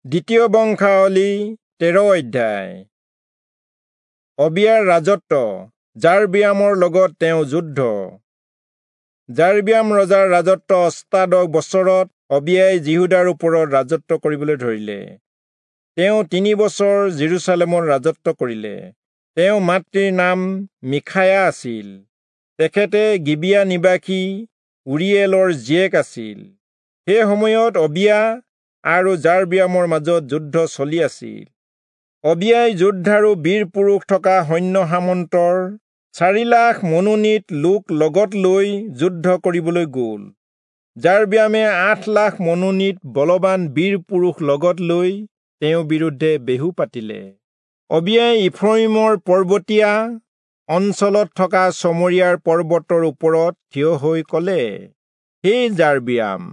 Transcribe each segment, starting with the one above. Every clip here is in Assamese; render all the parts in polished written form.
দ্বিতীয় বংশাৱলী 13 অধ্যায়। অবিয়াৰ ৰাজত্ব, যাৰবিয়ামৰ লগত তেওঁ যুদ্ধ। যাৰবিয়াম ৰজাৰ ৰাজত্ব 18 বছৰত অবিয়াই যিহূদাৰ ওপৰত ৰাজত্ব কৰিবলৈ ধৰিলে। তেওঁ 3 বছৰ যিৰূচালেমত ৰাজত্ব কৰিলে। তেওঁ মাতৃৰ নাম মিখায়া আছিল। তেখেতে গিবিয়া নিবাসী উৰিয়েলৰ জীয়েক আছিল। সেই সময়ত অবিয়া আৰু যাৰবিয়ামৰ মাজত যুদ্ধ চলি আছিল। অবিয়াই যোদ্ধাৰু বীৰ পুৰুষ থকা সৈন্য সামন্তৰ 4 লাখ মনোনীত লোক লগত লৈ যুদ্ধ কৰিবলৈ গ'ল। যাৰবিয়ামে 8 লাখ মনোনীত বলৱান বীৰ পুৰুষ লগত লৈ তেওঁৰ বিৰুদ্ধে বেহু পাতিলে। অবিয়াই ইফ্ৰয়িমৰ পৰ্বতীয়া অঞ্চলত থকা চমৰীয়াৰ পৰ্বতৰ ওপৰত থিয় হৈ ক'লে, হে যাৰবিয়াম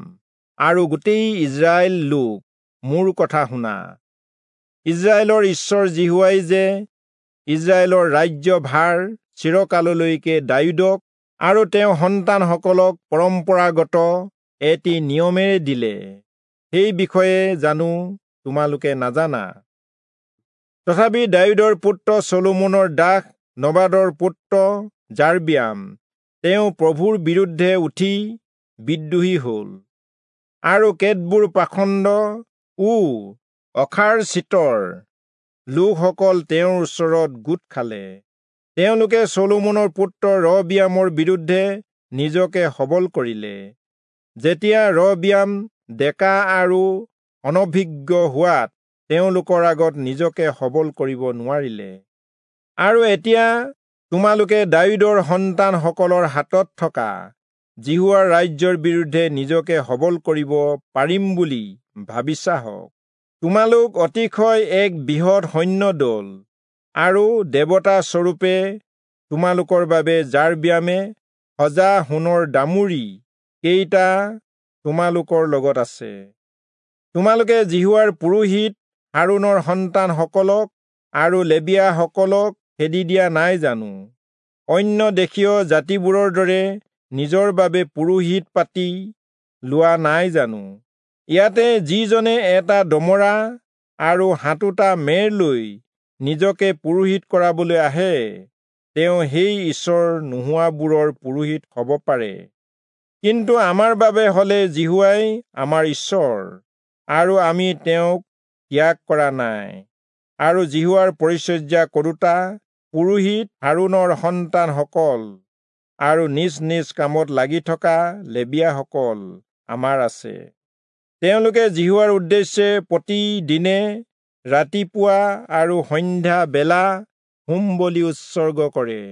আৰু গোটেই ইজৰাইল লোক, মোৰ কথা শুনা। ইজৰাইলৰ ঈশ্বৰ যিহোৱাই যে ইজৰাইলৰ ৰাজ্যভাৰ চিৰকাললৈকে দায়ূদক আৰু তেওঁৰ সন্তানসকলক পৰম্পৰাগত এটি নিয়মেৰে দিলে, সেই বিষয়ে জানো তোমালোকে নাজানা? তথাপি দায়ূদৰ পুত্ৰ চলোমনৰ দাস নবাদৰ পুত্ৰ যাৰবিয়াম তেওঁ প্ৰভুৰ বিৰুদ্ধে উঠি বিদ্ৰোহী হ'ল, আৰু কেতবোৰ পাখণ্ড ও অখাৰ চিতৰ লোকসকল তেওঁৰ ওচৰত গোট খালে। তেওঁলোকে চলোমনৰ পুত্ৰ ৰহবিয়ামৰ বিৰুদ্ধে নিজকে সবল কৰিলে। যেতিয়া ৰহবিয়াম ডেকা আৰু অনভিজ্ঞ হোৱাত তেওঁলোকৰ আগত নিজকে সবল কৰিব নোৱাৰিলে। আৰু এতিয়া তোমালোকে দায়ূদৰ সন্তানসকলৰ হাতত থকা যিহোৱাৰ ৰাজ্যৰ বিৰুদ্ধে নিজকে সবল কৰিব পাৰিম বুলি ভাবিছা হওক। তোমালোক অতিশয় এক বৃহৎ সৈন্য দল, আৰু দেৱতা স্বৰূপে তোমালোকৰ বাবে যাৰবিয়ামে সজা সোণৰ দামুৰি কেইটা তোমালোকৰ লগত আছে। তোমালোকে যিহোৱাৰ পুৰোহিত হাৰোণৰ সন্তানসকলক আৰু লেবীয়াসকলক খেদি দিয়া নাই জানো? অন্য দেশীয় জাতিবোৰৰ দৰে নিজৰ বাবে পুৰোহিত পাতি লোৱা নাই জানো? ইয়াতে যিজনে এটা দমৰা আৰু 7টা মেৰ লৈ নিজকে পুৰোহিত কৰাবলৈ আহে, তেওঁ সেই ঈশ্বৰ নোহোৱাবোৰৰ পুৰোহিত হ'ব পাৰে। কিন্তু আমাৰ বাবে হলে যিহোৱাই আমাৰ ঈশ্বৰ, আৰু আমি তেওঁক ত্যাগ কৰা নাই। আৰু যিহোৱাৰ পৰিচৰ্যা কৰোঁতা পুৰোহিত হাৰোণৰ সন্তানসকল আৰু নিজ নিজ কামত লাগি থকা লেবীয়াসকল আমাৰ আছে। তেওঁলোকে যিহোৱাৰ উদ্দেশ্যে প্ৰতিদিনে ৰাতিপুৱা আৰু সন্ধ্যা বেলা হোম বলি উৎসৰ্গ কৰে,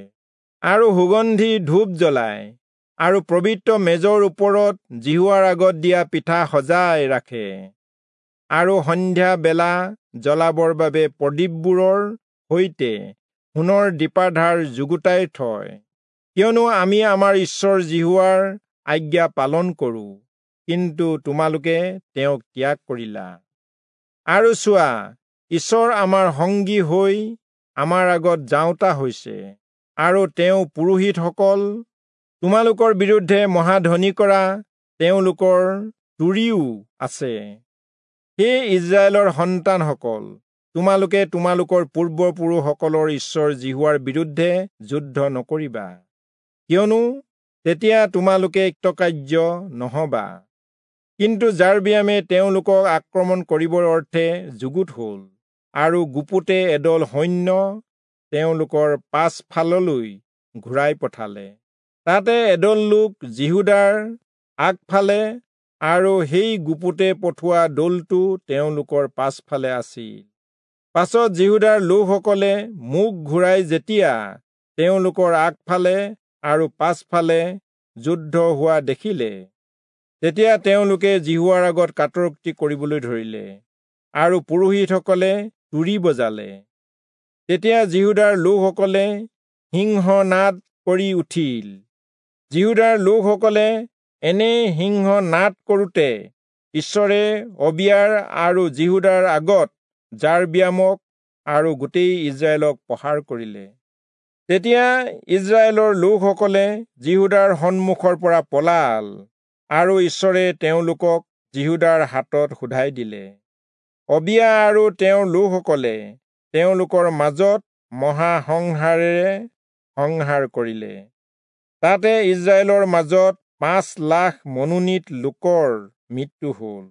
আৰু সুগন্ধি ধূপ জ্বলায়, আৰু পবিত্ৰ মেজৰ ওপৰত যিহোৱাৰ আগত দিয়া পিঠা সজাই ৰাখে, আৰু সন্ধ্যা বেলা জ্বলাবৰ বাবে প্ৰদীপবোৰৰ সৈতে সোণৰ দীপাধাৰ যুগুতাই থয়। কিয়নো আমি আমাৰ ঈশ্বৰ যিহোৱাৰ আজ্ঞা পালন কৰোঁ, কিন্তু তোমালোকে তেওঁক ত্যাগ কৰিলা। আৰু চোৱা, ঈশ্বৰ আমাৰ সংগী হৈ আমাৰ আগত যাওঁতা হৈছে, আৰু তেওঁ পুৰোহিতসকল তোমালোকৰ বিৰুদ্ধে মহাধ্বনি কৰা তেওঁলোকৰ তুৰিও আছে। হে ইজৰাইলৰ সন্তানসকল, তোমালোকে তোমালোকৰ পূৰ্বপুৰুষসকলৰ ঈশ্বৰ যিহোৱাৰ বিৰুদ্ধে যুদ্ধ নকৰিবা, কিয়নো তেতিয়া তোমালোকে কৃতকাৰ্য নহবা। কিন্তু যাৰবিয়ামে তেওঁলোকক আক্ৰমণ কৰিবৰ অৰ্থে যুগুত হ'ল, আৰু গুপুতে এদল সৈন্য তেওঁলোকৰ পাছফাললৈ ঘূৰাই পঠালে। তাতে এদল লোক যিহূদাৰ আগফালে আৰু সেই গুপুতে পঠোৱা দলটো তেওঁলোকৰ পাছফালে আছিল। পাছত যিহূদাৰ লোকসকলে মুখ ঘূৰাই যেতিয়া তেওঁলোকৰ আগফালে আৰু পাছফালে যুদ্ধ হোৱা দেখিলে, তেতিয়া তেওঁলোকে যিহোৱাৰ আগত কাতৰোক্তি কৰিবলৈ ধৰিলে, আৰু পুৰোহিতসকলে তুৰি বজালে। তেতিয়া যিহূদাৰ লোকসকলে সিংহনাদ কৰি উঠিল। যিহূদাৰ লোকসকলে এনে সিংহনাদ কৰোঁতে ঈশ্বৰে অবিয়াৰ আৰু যিহূদাৰ আগত যাৰবিয়ামক আৰু গোটেই ইজৰাইলক প্ৰহাৰ কৰিলে। তেতিয়া ইজৰাইলৰ লোকসকলে যিহূদাৰ সন্মুখৰ পৰা পলাল, আৰু ঈশ্বৰে তেওঁলোকক যিহূদাৰ হাতত শোধাই দিলে। অবিয়া আৰু তেওঁৰ লোকসকলে তেওঁলোকৰ মাজত মহাসংহাৰেৰে সংহাৰ কৰিলে। তাতে ইজৰাইলৰ মাজত 5 লাখ মনোনীত লোকৰ মৃত্যু হ'ল।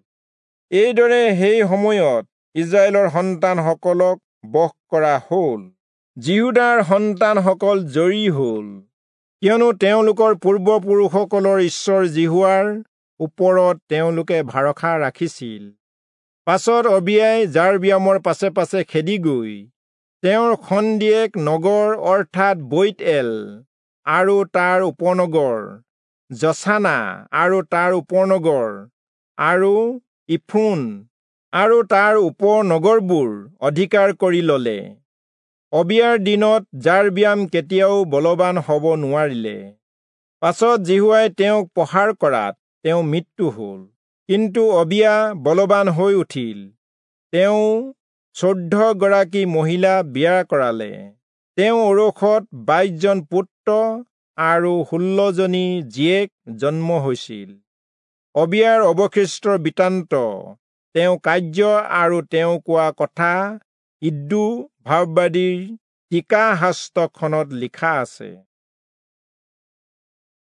এইদৰে সেই সময়ত ইজৰাইলৰ সন্তানসকলক বশ কৰা হ'ল। যিহূদাৰ সন্তানসকল জয়ী হ'ল, কিয়নো তেওঁলোকৰ পূৰ্বপুৰুষসকলৰ ঈশ্বৰ যিহোৱাৰ ওপৰত তেওঁলোকে ভৰসা ৰাখিছিল। পাছত অবিয়াই যাৰবিয়ামৰ পাছে পাছে খেদি গৈ তেওঁৰ খন্দিয়েক নগৰ অৰ্থাৎ বৈৎএল আৰু তাৰ উপনগৰ, যচানা আৰু তাৰ উপনগৰ, আৰু ইফোন আৰু তাৰ উপনগৰবোৰ অধিকাৰ কৰি ললে। অবিয়াৰ দিনত যাৰবিয়াম কেতিয়াও বলৱান হ'ব নোৱাৰিলে। পাছত যিহোৱাই তেওঁক প্ৰহাৰ কৰাত তেওঁ মৃত্যু হ'ল। কিন্তু অবিয়া বলৱান হৈ উঠিল। তেওঁ 14 গৰাকী মহিলা বিয়া কৰালে। তেওঁ ঔৰসত 22 জন পুত্ৰ আৰু 16 জনী জীয়েক জন্ম হৈছিল। অবিয়াৰ অৱশিষ্ট বৃত্তান্ত, তেওঁ কাৰ্য আৰু তেওঁ কোৱা কথা ইদ্দো ভাববাদীৰ টীকাশাস্ত্ৰখনত লিখা আছে।